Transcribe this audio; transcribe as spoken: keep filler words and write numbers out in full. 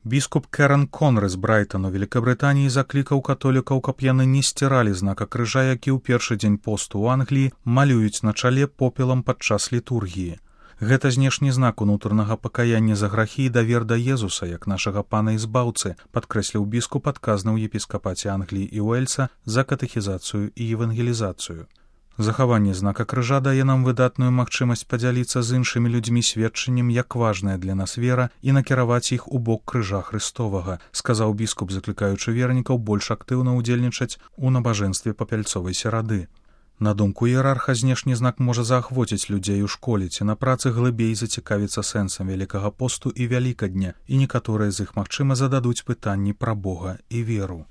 Біскуп Керен Конры з Брайтану, Великабрытаніі, заклікаў католікаў, каб яны не сціралі знака крыжа, які ў першы дзень посту ў Англіі малююць на чале попелам падчас літургіі. Гэта знешні знак унутранага пакаяння за грахі і давер да Езуса, як нашага пана і збаўцы, падкрэсліў біскуп, адказны ў епіскапаце Англіі і Уэльса за катэхізацыю і евангелізацыю. Захаванне знака крыжа дае нам выдатную магчымасць падзяліцца з іншымі людзьмі сведчаннем, як важная для нас вера, і накіраваць іх у бок крыжа Хрыстовага, сказаў біскуп, заклікаючы вернікаў больш актыўна ўдзельнічаць у набажэнстве папяльцовай серады. На думку іерарха, знешні знак можа заахвоціць людзей у школе ці на працы глыбей зацікавіцца сэнсам Вялікага посту і Вялікадня, і некаторыя з іх, магчыма, зададуць пытанні пра Бога і веру.